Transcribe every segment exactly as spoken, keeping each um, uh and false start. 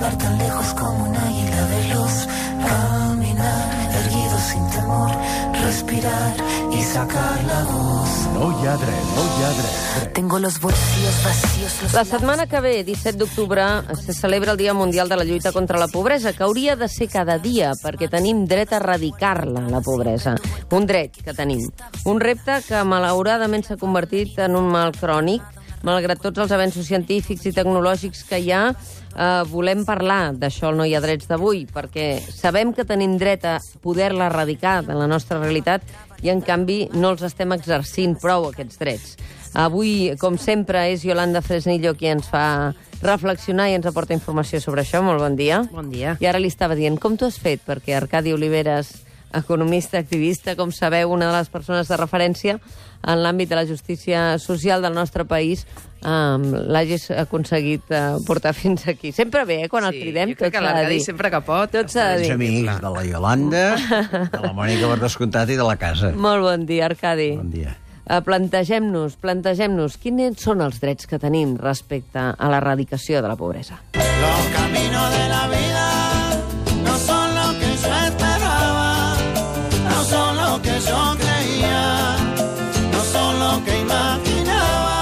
volar tan lejos como un águila veloz, caminar erguido sin temor, respirar y sacar la voz. No hi ha dret, no hi ha dret. Tengo los bolsillos vacíos. Los La setmana que ve, disset d'octubre, se celebra el Dia Mundial de la Lluita contra la Pobresa, que hauria de ser cada dia, perquè tenim dret a erradicar-la, la pobresa. Un dret que tenim. Un repte que, malauradament, s'ha convertit en un mal crònic. Malgrat tots els avenços científics i tecnològics que hi ha, eh, volem parlar d'això al No hi ha drets d'avui, perquè sabem que tenim dret a poder-la erradicar de la nostra realitat i, en canvi, no els estem exercint prou, aquests drets. Avui, com sempre, és Yolanda Fresnillo qui ens fa reflexionar i ens aporta informació sobre això. Molt bon dia. Bon dia. I ara li estava dient, com t'ho has fet? Perquè Arcadi Oliveres, economista, activista, com sabeu, una de les persones de referència en l'àmbit de la justícia social del nostre país, um, l'hagis aconseguit uh, portar fins aquí. Sempre bé, eh, quan Sí, el cridem, jo crec tot que s'ha de l'Arcadi dir. sempre que pot. Tot s'ha de Els dir. amics de la Yolanda, de la Mònica per descomptat i de la casa. Molt bon dia, Arcadi. Bon dia. Uh, plantegem-nos, plantegem-nos, quins són els drets que tenim respecte a l'erradicació de la pobresa? Los caminos de la vida no son lo que yo esperaba, no son lo que yo creía, no son lo que imaginaba.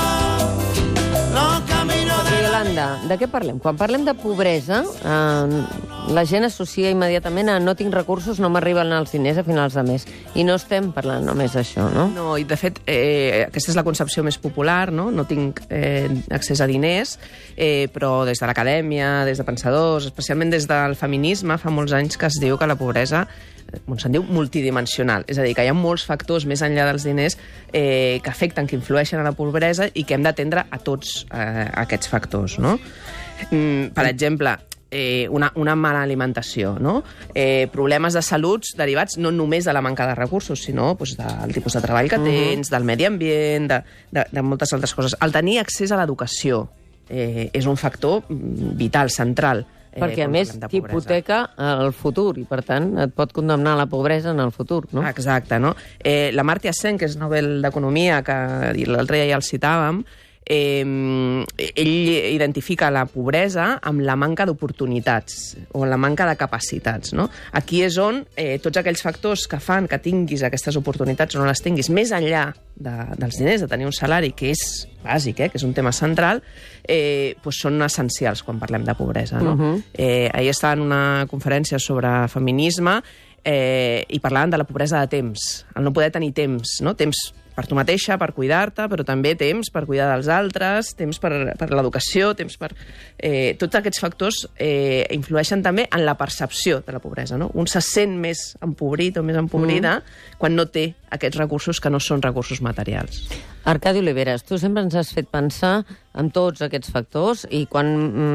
Los caminos de la Yolanda, de què parlem? Quan parlem de pobresa, eh, la gent associa immediatament a no tinc recursos, no m'arriben els diners a finals de mes. I no estem parlant només d'això, no? No, i de fet, eh, aquesta és la concepció més popular, no? No tinc eh, accés a diners, eh, però des de l'acadèmia, des de pensadors, especialment des del feminisme, fa molts anys que es diu que la pobresa on se'n diu multidimensional, és a dir, que hi ha molts factors més enllà dels diners eh, que afecten, que influeixen a la pobresa i que hem d'atendre a tots eh, aquests factors, no? Mm, per exemple, eh, una, una mala alimentació, no? Eh, problemes de salut derivats no només de la manca de recursos, sinó doncs, del tipus de treball que tens, del medi ambient, de, de, de moltes altres coses. El tenir accés a l'educació eh, és un factor vital, central. Perquè, a més, t'hipoteca el futur i, per tant, et pot condemnar a la pobresa en el futur, no? Exacte, no? Eh, la Amartya Sen, que és Nobel d'Economia, que l'altre dia ja el citàvem, eh, ell identifica la pobresa amb la manca d'oportunitats o la manca de capacitats, no? Aquí és on eh, tots aquells factors que fan que tinguis aquestes oportunitats o no les tinguis, més enllà de, dels diners, de tenir un salari, que és bàsic, eh, que és un tema central, eh, doncs són essencials quan parlem de pobresa, no? Uh-huh. eh, ahir estava en una conferència sobre feminisme eh, i parlaven de la pobresa de temps, el no poder tenir temps, no? Temps per tu mateixa, per cuidar-te, però també temps per cuidar dels altres, temps per, per l'educació, temps per... Eh, tots aquests factors eh, influeixen també en la percepció de la pobresa, no? Un se sent més empobrit o més empobrida mm. quan no té aquests recursos que no són recursos materials. Arcadi Oliveres, tu sempre ens has fet pensar en tots aquests factors i quan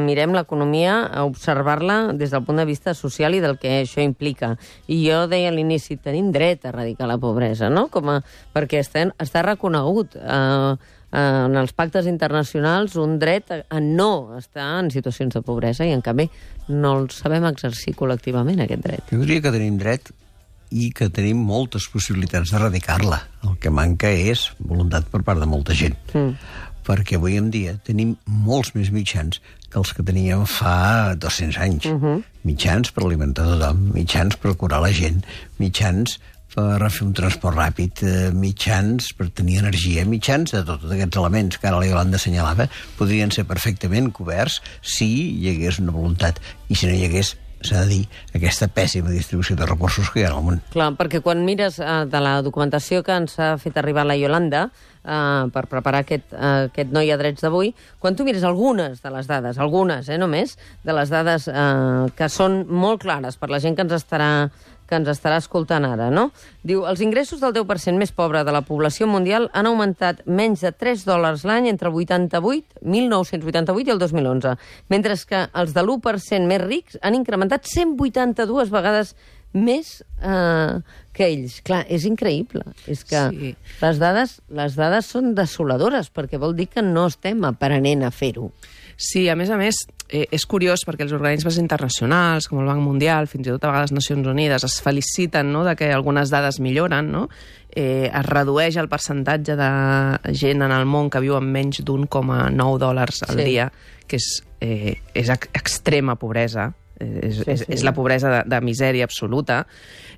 mirem l'economia, a observar-la des del punt de vista social i del que això implica. I jo deia a l'inici, tenim dret a erradicar la pobresa, no? Com a, perquè està, està reconegut eh, en els pactes internacionals un dret a, a no estar en situacions de pobresa i, en canvi, no el sabem exercir col·lectivament, aquest dret. Jo diria que tenim dret i que tenim moltes possibilitats d'erradicar-la. El que manca és voluntat per part de molta gent. Mm. Perquè avui en dia tenim molts més mitjans que els que teníem fa dos-cents anys. Uh-huh. Mitjans per alimentar tothom, mitjans per curar la gent, mitjans per fer un transport ràpid, mitjans per tenir energia, mitjans de tots aquests elements que ara la Yolanda assenyalava podrien ser perfectament coberts si hi hagués una voluntat. I si no hi hagués, s'ha de dir, aquesta pèssima distribució de recursos que hi ha al món. Clar, perquè quan mires eh, de la documentació que ens ha fet arribar la Yolanda eh, per preparar aquest, eh, aquest No hi ha drets d'avui, quan tu mires algunes de les dades, algunes, eh, només, de les dades eh, que són molt clares per la gent que ens estarà que ens estarà escoltant ara, no? Diu, els ingressos del deu per cent més pobre de la població mundial han augmentat menys de tres dòlars l'any entre el vuitanta-vuit, mil nou-cents vuitanta-vuit i el dos mil onze, mentre que els de l'u per cent més rics han incrementat cent vuitanta-dues vegades més eh, que ells. Clar, és increïble. És que sí. les, dades, les dades són desoladores, perquè vol dir que no estem aprenent a fer-ho. Sí, a més a més, eh, és curiós perquè els organismes internacionals, com el Banc Mundial, fins i tot a vegades Nacions Unides, es feliciten, no?, de que algunes dades milloren, no? Eh, es redueix el percentatge de gent en el món que viu amb menys d'un coma nou dòlars al Sí. dia, que és, eh, és ex extrema pobresa, eh, és, Sí, és, sí. és la pobresa de, de misèria absoluta,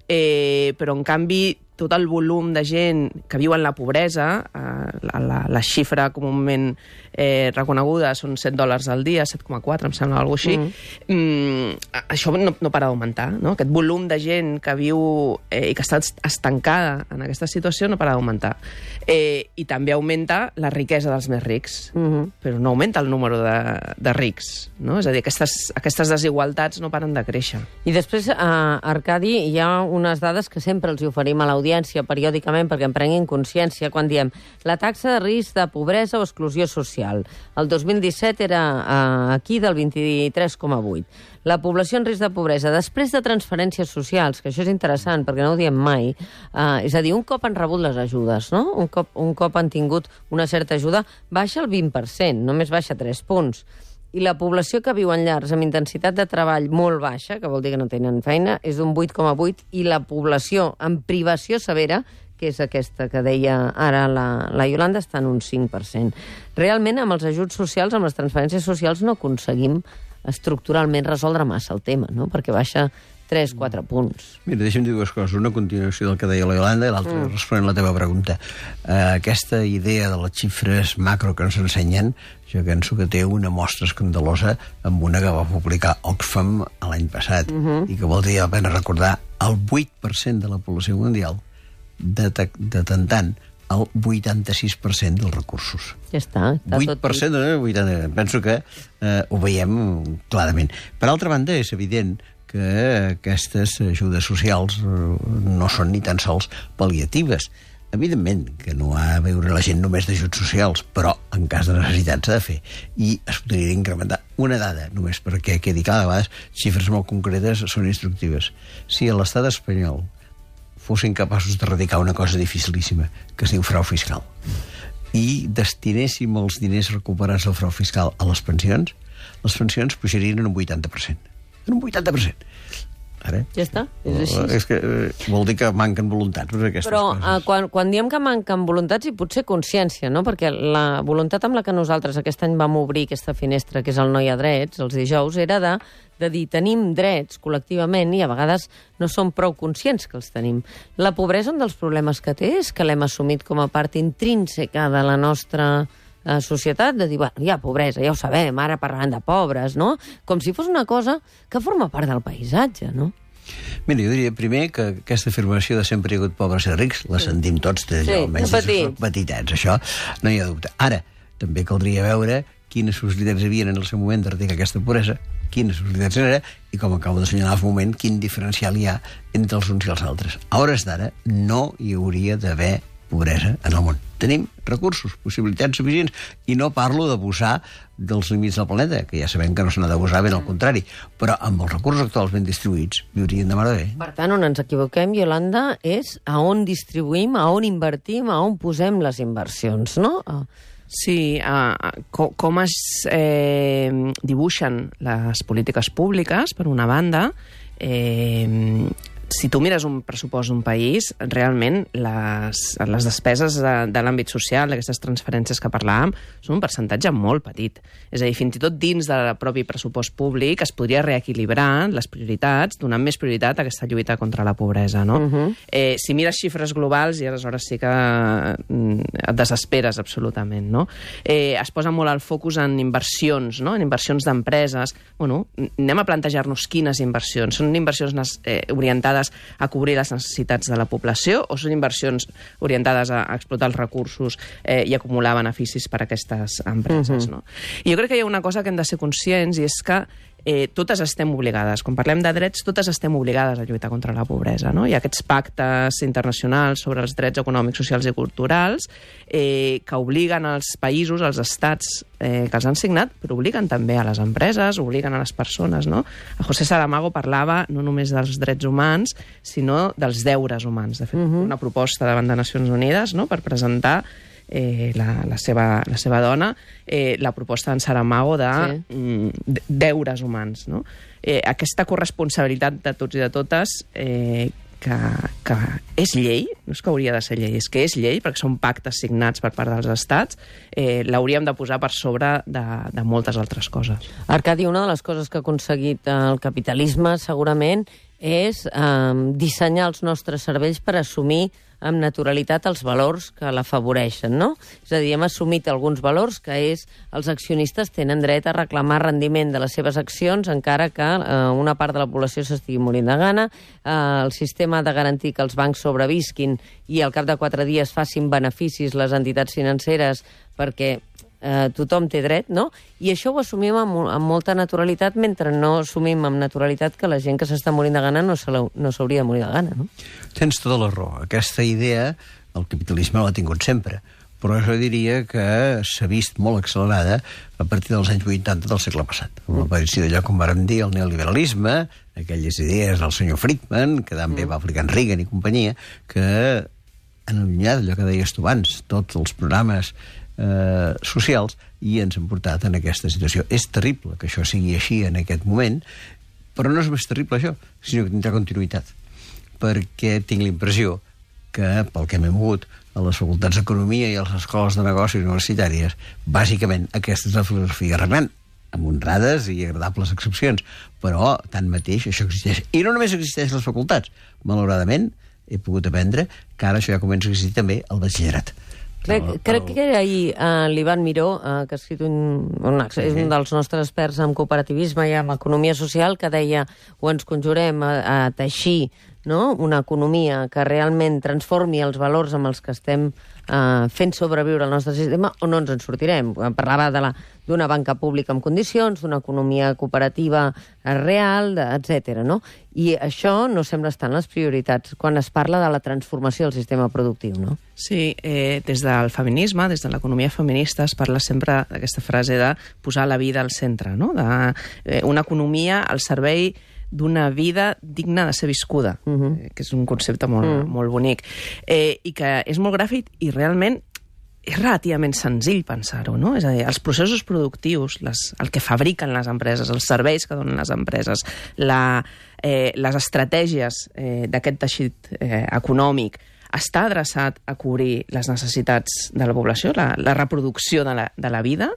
eh, però en canvi tot el volum de gent que viu en la pobresa, eh, la, la, la xifra comunament eh, reconeguda són set dòlars al dia, set coma quatre, em sembla, alguna cosa així, mm. Mm, això no, no para d'augmentar, no? Aquest volum de gent que viu eh, i que està estancada en aquesta situació no para d'augmentar. Eh, I també augmenta la riquesa dels més rics, Mm -hmm. però no augmenta el número de, de rics, no? És a dir, aquestes, aquestes desigualtats no paren de créixer. I després, eh, Arcadi, hi ha unes dades que sempre els oferim a l'audiència periòdicament perquè en prenguin consciència quan diem la taxa de risc de pobresa o exclusió social. El dos mil disset era eh, aquí del vint-i-tres coma vuit. La població en risc de pobresa, després de transferències socials, que això és interessant perquè no ho diem mai, eh, és a dir, un cop han rebut les ajudes, no? Un cop, un cop han tingut una certa ajuda, baixa el vint per cent, només baixa tres punts. I la població que viu en llars amb intensitat de treball molt baixa, que vol dir que no tenen feina, és d'un vuit coma vuit, i la població amb privació severa, que és aquesta que deia ara la, la Iolanda, està en un cinc per cent. Realment, amb els ajuts socials, amb les transferències socials, no aconseguim estructuralment resoldre massa el tema, no? Perquè baixa tres quatre punts. Mira, deixa'm dir dues coses. Una continuació del que deia la Iolanda i l'altra mm. responent la teva pregunta. Uh, aquesta idea de les xifres macro que ens ensenyen, jo penso que té una mostra escandalosa amb una que va publicar Oxfam l'any passat mm -hmm. i que valdria la pena recordar el vuit per cent de la població mundial detentant el vuitanta-sis per cent dels recursos. Ja està. està vuit per cent, tot... eh? vuitanta. Penso que eh, ho veiem clarament. Per altra banda, és evident que aquestes ajudes socials eh, no són ni tan sols pal·liatives. Evidentment que no ha a veure la gent només d'ajuts socials, però en cas de necessitat s'ha de fer. I es podria incrementar una dada, només perquè quedi cada vegada, xifres molt concretes són instructives. Si a l'estat espanyol fossin capaços d'erradicar una cosa dificilíssima, que es diu frau fiscal, i destinéssim els diners recuperats del frau fiscal a les pensions, les pensions pujarien en un vuitanta per cent. En un vuitanta per cent. Ara, ja està, és així. És que eh, vol dir que manquen voluntats per aquestes Però coses. uh, quan, quan diem que manquen voluntats i potser consciència, no? Perquè la voluntat amb la que nosaltres aquest any vam obrir aquesta finestra, que és el No hi ha drets, els dijous, era de, de dir tenim drets col·lectivament i a vegades no som prou conscients que els tenim. La pobresa, un dels problemes que té és que l'hem assumit com a part intrínseca de la nostra a societat, de dir, bueno, hi ha pobresa, ja ho sabem, ara parlant de pobres, no? Com si fos una cosa que forma part del paisatge, no? Mira, jo diria primer que aquesta afirmació de sempre hi ha hagut pobres i rics la sentim tots, de, Sí, almenys de des de petits. petitets, això no hi ha dubte. Ara, també caldria veure quines possibilitats hi havia en el seu moment d'erradicar aquesta pobresa, quines possibilitats hi era, i com acabo d'assenyalar fa un moment, quin diferencial hi ha entre els uns i els altres. A hores d'ara no hi hauria d'haver pobresa en el món. Tenim recursos, possibilitats suficients, i no parlo d'abusar dels límits del planeta, que ja sabem que no se n'ha d'abusar, ben al contrari, però amb els recursos actuals ben distribuïts viurien de mare bé. Per tant, on ens equivoquem, Iolanda, és a on distribuïm, a on invertim, a on posem les inversions, no? Sí, uh, com, com es eh, dibuixen les polítiques públiques, per una banda, eh, si tu mires un pressupost d'un país, realment les, les despeses de, de l'àmbit social, d'aquestes transferències que parlàvem, són un percentatge molt petit. És a dir, fins i tot dins del propi pressupost públic es podria reequilibrar les prioritats, donant més prioritat a aquesta lluita contra la pobresa, no? Uh-huh. eh, si mires xifres globals, i aleshores sí que mm, et desesperes absolutament, no? Eh, es posa molt el focus en inversions, no? En inversions d'empreses. Bueno, anem a plantejar-nos quines inversions. Són inversions eh, orientades a cobrir les necessitats de la població o són inversions orientades a, a explotar els recursos eh, i acumular beneficis per a aquestes empreses, uh-huh. no? I jo crec que hi ha una cosa que hem de ser conscients i és que eh, totes estem obligades, quan parlem de drets, totes estem obligades a lluitar contra la pobresa, no? Hi ha aquests pactes internacionals sobre els drets econòmics, socials i culturals eh, que obliguen als països, als estats eh, que els han signat, però obliguen també a les empreses, obliguen a les persones, no? A José Saramago parlava no només dels drets humans, sinó dels deures humans. De fet, uh-huh. una proposta davant de Nacions Unides, no?, per presentar eh, la, la, seva, la seva dona, eh, la proposta d'en Saramago de sí. mm, deures humans, no? Eh, aquesta corresponsabilitat de tots i de totes eh, que, que és llei, no és que hauria de ser llei, és que és llei, perquè són pactes signats per part dels estats, eh, l'hauríem de posar per sobre de, de moltes altres coses. Arcadi, una de les coses que ha aconseguit el capitalisme, segurament, és eh, dissenyar els nostres cervells per assumir amb naturalitat els valors que l'afavoreixen, no? És a dir, hem assumit alguns valors que és els accionistes tenen dret a reclamar rendiment de les seves accions encara que eh, una part de la població s'estigui morint de gana, eh, el sistema ha de garantir que els bancs sobrevisquin i al cap de quatre dies facin beneficis les entitats financeres perquè eh, tothom té dret, no? I això ho assumim amb, amb molta naturalitat mentre no assumim amb naturalitat que la gent que s'està morint de gana no s'hauria de morir de gana, no? Tens tota la raó. Aquesta idea el capitalisme l'ha tingut sempre, però jo diria que s'ha vist molt accelerada a partir dels anys vuitanta del segle passat. Amb l'aparició d'allò, com vàrem dir, el neoliberalisme, aquelles idees del senyor Friedman, que també va aplicar en Reagan i companyia, que han allunyat allò que deies tu abans, tots els programes eh, socials, i ens han portat en aquesta situació. És terrible que això sigui així en aquest moment, però no és més terrible això, sinó que tindrà continuïtat, perquè tinc la impressió que, pel que m'he mogut a les facultats d'economia i a les escoles de negocis universitàries, bàsicament aquesta és la filosofia regnant, amb honrades i agradables excepcions, però tanmateix això existeix. I no només existeix a les facultats. Malauradament, he pogut aprendre que ara això ja comença a existir també al batxillerat. Crec, el, el... crec que era ahir uh, l'Ivan Miró, uh, que ha escrit un, un, sí. és un dels nostres experts en cooperativisme i en economia social, que deia o ens conjurem a, a teixir, no?, una economia que realment transformi els valors amb els que estem uh, fent sobreviure el nostre sistema, o no ens en sortirem. Parlava de la, d'una banca pública amb condicions, d'una economia cooperativa real, etcètera, no? I això no sembla estar en les prioritats quan es parla de la transformació del sistema productiu, no? Sí, eh, des del feminisme, des de l'economia feminista, es parla sempre d'aquesta frase de posar la vida al centre, no? De, eh, una economia al servei d'una vida digna de ser viscuda, uh -huh. eh, que és un concepte molt, uh -huh. molt bonic, eh, i que és molt gràfic i realment és relativament senzill pensar-ho, no? És a dir, els processos productius, les, el que fabriquen les empreses, els serveis que donen les empreses, la, eh, les estratègies eh, d'aquest teixit eh, econòmic, està adreçat a cobrir les necessitats de la població, la, la reproducció de la, de la vida,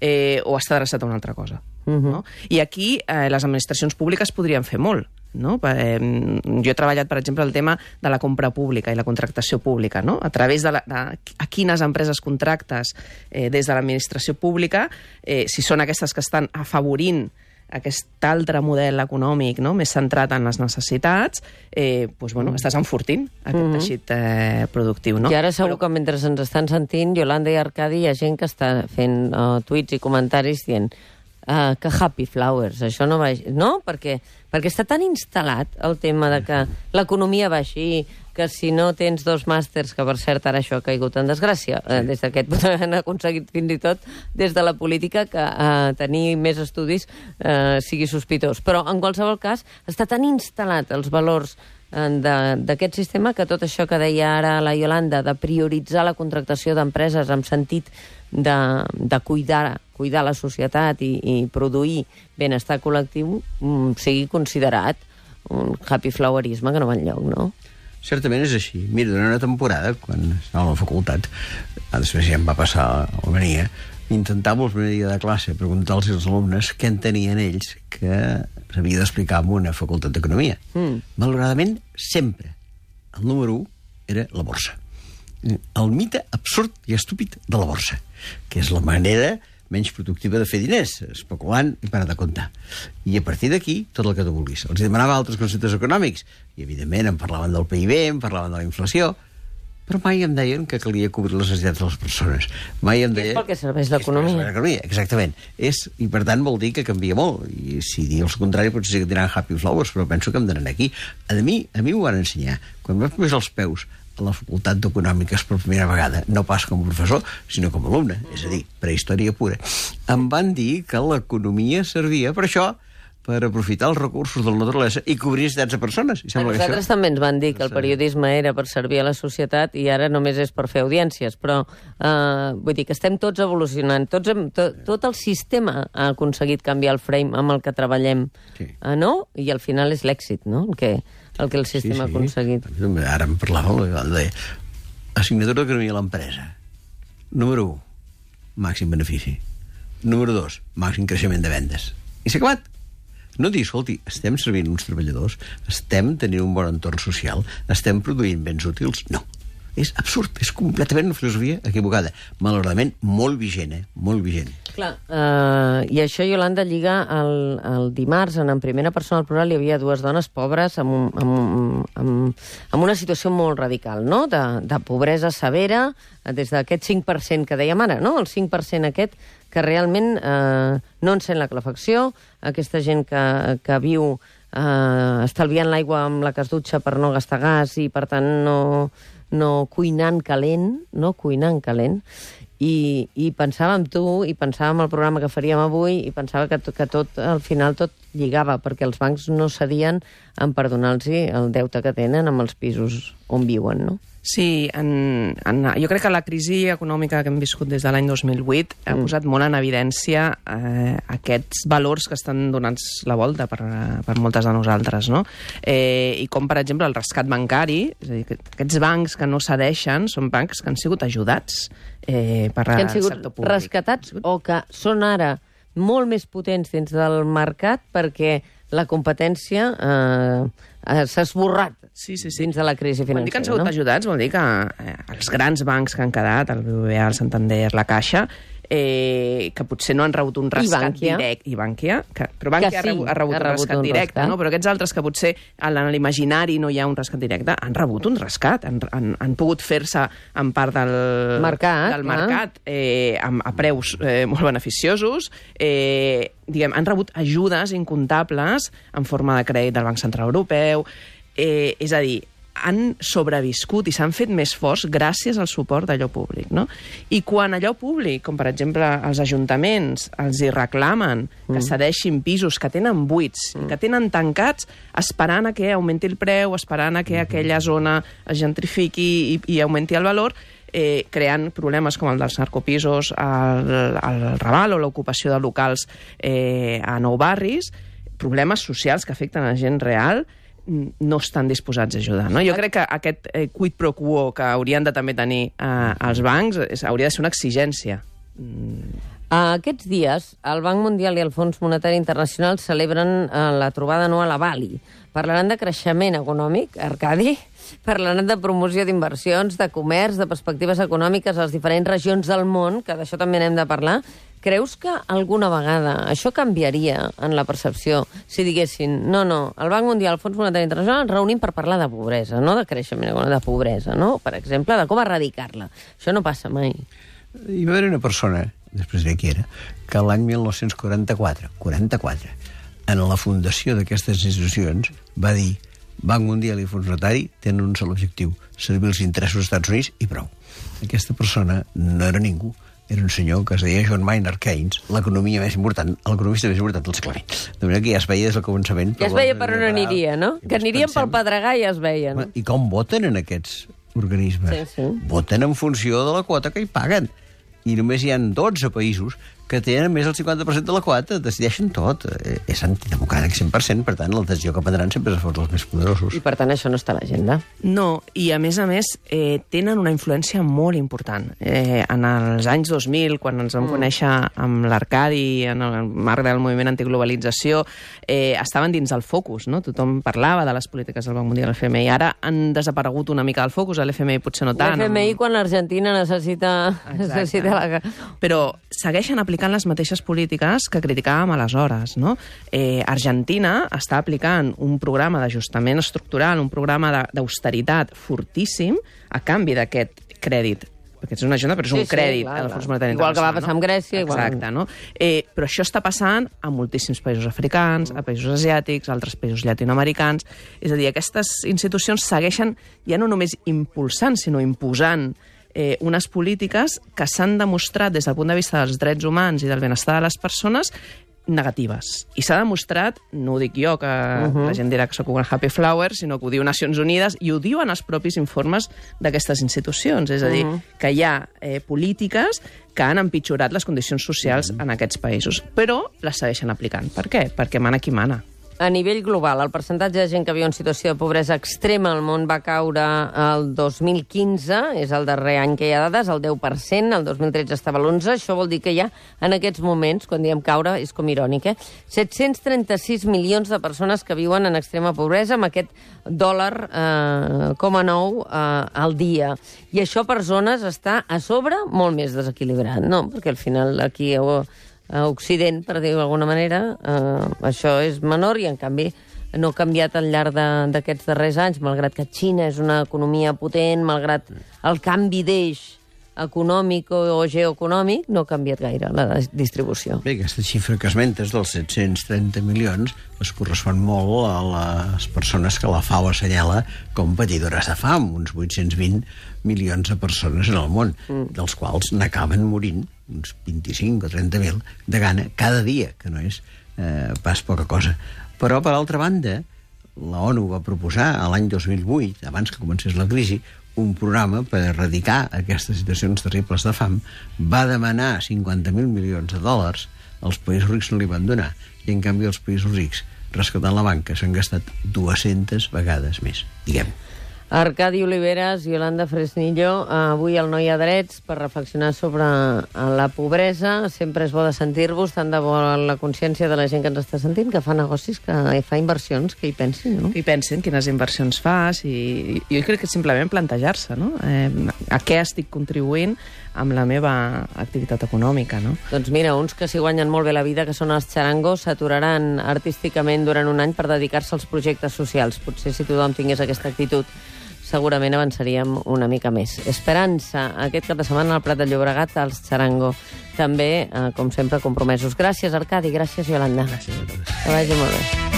eh, o està adreçat a una altra cosa? Uh-huh. No? I aquí eh, les administracions públiques podrien fer molt, no? Eh, jo he treballat, per exemple, el tema de la compra pública i la contractació pública, no? A través de, la, de a quines empreses contractes eh, des de l'administració pública, eh, si són aquestes que estan afavorint aquest altre model econòmic, no?, més centrat en les necessitats, eh, doncs, bueno, mm. estàs enfortint aquest mm -hmm. teixit eh, productiu, no? I ara segur Però... que mentre ens estan sentint, Yolanda i Arcadi, hi ha gent que està fent uh, tuits i comentaris dient Uh, que happy flowers, això no va... No? Perquè, perquè està tan instal·lat el tema de que l'economia va així, que si no tens dos màsters, que per cert ara això ha caigut en desgràcia, sí. uh, des d'aquest punt han aconseguit fins i tot des de la política que uh, tenir més estudis uh, sigui sospitós. Però en qualsevol cas està tan instal·lat els valors d'aquest sistema que tot això que deia ara la Yolanda, de prioritzar la contractació d'empreses en sentit de, de cuidar, cuidar la societat i, i produir benestar col·lectiu, mm, sigui considerat un happy flowerisme que no va enlloc, no? Certament és així. Mira, durant una temporada, quan estava a la facultat, després ja em va passar a Almenia, intentava el primer dia de classe preguntar-los als alumnes què entenien ells que s'havia d'explicar en una facultat d'economia. Mm. Malauradament, sempre el número u era la borsa. El mite absurd i estúpid de la borsa, que és la manera menys productiva de fer diners, especulant i parar de comptar. I a partir d'aquí, tot el que tu vulguis. Els demanava altres conceptes econòmics, i evidentment em parlaven del P I B, em parlaven de la inflació, però mai em deien que calia cobrir les necessitats de les persones. Mai em deien... És pel que serveix l'economia. Exactament. És, i per tant vol dir que canvia molt. I si dius el contrari potser sí que diran happy flowers, però penso que em donen aquí. A mi, a mi ho van ensenyar. Quan vaig posar els peus a la facultat d'Econòmiques per primera vegada, no pas com a professor, sinó com a alumne, és a dir, prehistòria pura, em van dir que l'economia servia per això, per aprofitar els recursos de la naturalesa i cobrir necessitats de persones. I A sembla que nosaltres això... també ens van dir que el periodisme era per servir a la societat i ara només és per fer audiències, però eh, vull dir que estem tots evolucionant, tots hem, to, tot el sistema ha aconseguit canviar el frame amb el que treballem, Sí. eh, no? I al final és l'èxit, no?, el que, el que el sistema ha aconseguit. Ara em parlava, deia, assignatura d'economia a l'empresa. Número u, màxim benefici. Número dos, màxim creixement de vendes. I s'ha acabat. No dir, escolti, estem servint uns treballadors, estem tenint un bon entorn social, estem produint béns útils. No. És absurd, és completament una filosofia equivocada. Malauradament, molt vigent, eh? Molt vigent. Clar, eh, i això, Iolanda, lliga el, el dimarts, en, en primera persona del programa, hi havia dues dones pobres amb, un, amb, amb, amb una situació molt radical, no?, de, de pobresa severa, des d'aquest cinc per cent que dèiem ara, no?, el cinc per cent aquest que realment eh, no encén la calefacció, aquesta gent que, que viu eh, estalviant l'aigua amb la que es dutxa per no gastar gas i, per tant, no... no cuinant calent, no cuinant calent, i, i pensava en tu, i pensava en el programa que faríem avui, i pensava que, que tot, al final, tot lligava, perquè els bancs no cedien en perdonar-los el deute que tenen amb els pisos on viuen, no? Sí, en, en, jo crec que la crisi econòmica que hem viscut des de l'any dos mil vuit ha posat molt en evidència eh, aquests valors que estan donant-se la volta per, per moltes de nosaltres, no? Eh, I com, per exemple, el rescat bancari, és a dir, que aquests bancs que no cedeixen són bancs que han sigut ajudats eh, per que han el sigut sector públic. rescatats o que són ara molt més potents dins del mercat perquè la competència eh, eh, s'ha esborrat Sí, sí, sí. dins de la crisi Quan dic que han financera, sigut no? ajudats, vol dir que eh, els grans bancs que han quedat, el B B V A, el Santander, la Caixa, eh, que potser no han rebut un rescat Bankia. directe. I Bankia. Que, però Bankia Que sí, ha rebut, ha rebut ha un rebut rescat un directe, rescat. no? Però aquests altres que potser en l'imaginari no hi ha un rescat directe, han rebut un rescat, han, han, han pogut fer-se en part del Mercat, del clar. mercat eh, a, a preus eh, molt beneficiosos, eh, diguem, han rebut ajudes incomptables en forma de crèdit del Banc Central Europeu, eh, és a dir, han sobreviscut i s'han fet més forts gràcies al suport d'allò públic, no? I quan allò públic, com per exemple els ajuntaments, els hi reclamen que cedeixin pisos que tenen buits i que tenen tancats, esperant a que augmenti el preu, esperant a que aquella zona es gentrifiqui i, i augmenti el valor, eh, creant problemes com el dels narcopisos al, al Raval o l'ocupació de locals eh, a nou barris, problemes socials que afecten a gent real, no estan disposats a ajudar. No? Jo crec que aquest eh, quid pro quo que haurien de també tenir eh, els bancs és, hauria de ser una exigència. Mm. Aquests dies, el Banc Mundial i el Fons Monetari Internacional celebren eh, la trobada anual a Bali. Parlaran de creixement econòmic, Arcadi, parlaran de promoció d'inversions, de comerç, de perspectives econòmiques a les diferents regions del món, que d'això també n'hem de parlar. Creus que alguna vegada això canviaria en la percepció si diguessin no, no, el Banc Mundial, el Fons Monetari Internacional ens reunim per parlar de pobresa, no de creixement, de pobresa, no? Per exemple, de com erradicar-la. Això no passa mai. Hi va haver una persona, després de qui era, que l'any mil nou-cents quaranta-quatre, quaranta-quatre, en la fundació d'aquestes institucions, va dir Banc Mundial i Fons Monetari tenen un sol objectiu, servir els interessos dels Estats Units i prou. Aquesta persona no era ningú, era un senyor que es deia John Maynard Keynes, l'economia més important, l'economista més important del segle vint. De manera que ja es veia des del començament... Ja es veia per on aniria, no? Que anirien pel Pedregà i ja es veien. Home, I com voten en aquests organismes? Sí, sí. Voten en funció de la quota que hi paguen. I només hi ha dotze països que tenen més del cinquanta per cent de la quota, decideixen tot. Eh, és antidemocràtic cent per cent, per tant, la decisió que prendran sempre és a favor dels més poderosos. I per tant això no està a l'agenda. No, i a més a més eh, tenen una influència molt important. Eh, en els anys dos mil, quan ens vam mm. conèixer amb l'Arcadi, en el marc del moviment antiglobalització, eh, estaven dins del focus, no? Tothom parlava de les polítiques del Banc Mundial i l'F M I. Ara han desaparegut una mica del focus, a l'F M I potser no tant. L'F M I quan l'Argentina necessita, necessita la... Però segueixen aplicant les mateixes polítiques que criticàvem aleshores, no? Eh, Argentina està aplicant un programa d'ajustament estructural, un programa d'austeritat fortíssim a canvi d'aquest crèdit. Perquè és una ajuda, però és Sí, un sí, crèdit. clar, del clar. Fons Monetari Igual que va Internacional, passar amb Grècia, igual. Exacte, no? Eh, però això està passant a moltíssims països africans, a països asiàtics, a altres països llatinoamericans. És a dir, aquestes institucions segueixen ja no només impulsant, sinó imposant eh, unes polítiques que s'han demostrat des del punt de vista dels drets humans i del benestar de les persones negatives. I s'ha demostrat, no ho dic jo, que uh -huh. la gent dirà que sóc un happy flower, sinó que ho diu Nacions Unides i ho diuen els propis informes d'aquestes institucions. És a dir, uh -huh. que hi ha eh, polítiques que han empitjorat les condicions socials uh -huh. en aquests països, però les segueixen aplicant. Per què? Perquè mana qui mana. A nivell global, el percentatge de gent que viu en situació de pobresa extrema al món va caure el dos mil quinze, és el darrer any que hi ha dades, el deu per cent, el dos mil tretze estava a l'onze, això vol dir que hi ha, en aquests moments, quan diem caure, és com irònic, eh? set-cents trenta-sis milions de persones que viuen en extrema pobresa, amb aquest dòlar eh, coma nou eh, al dia. I això per zones està a sobre molt més desequilibrat, no? Perquè al final aquí... Oh, a Occident, per dir-ho d'alguna manera, eh, això és menor i, en canvi, no ha canviat al llarg d'aquests darrers anys, malgrat que Xina és una economia potent, malgrat el canvi d'eix econòmic o geoeconòmic, no ha canviat gaire la distribució. Bé, aquesta xifra que esmentes dels set-cents trenta milions es correspon molt a les persones que la F A O assenyala com patidores de fam, uns vuit-cents vint milions de persones en el món, mm. dels quals n'acaben morint uns vint-i-cinc o trenta mil de gana cada dia, que no és eh, pas poca cosa. Però, per altra banda, la ONU va proposar a l'any dos mil vuit, abans que comencés la crisi, un programa per erradicar aquestes situacions terribles de fam, va demanar cinquanta mil milions de dòlars, els països rics no li van donar, i en canvi els països rics, rescatant la banca, s'han gastat dues-centes vegades més, diguem. Arcadi Oliveres, Yolanda Fresnillo, avui al No hi ha drets per reflexionar sobre la pobresa. Sempre és bo de sentir-vos, tant de bo la consciència de la gent que ens està sentint, que fa negocis, que fa inversions, que hi pensin, no? Que hi pensin, quines inversions fas, i jo crec que simplement plantejar-se, no? Eh, a què estic contribuint amb la meva activitat econòmica, no? Doncs mira, uns que s'hi guanyen molt bé la vida, que són els xarangos, s'aturaran artísticament durant un any per dedicar-se als projectes socials. Potser si tothom tingués aquesta actitud, segurament avançaríem una mica més. Esperança, aquest cap de setmana al Prat de Llobregat, als xarango. També, eh, com sempre, compromesos. Gràcies, Arcadi, gràcies, Yolanda. Gràcies a tots. Que vagi molt bé.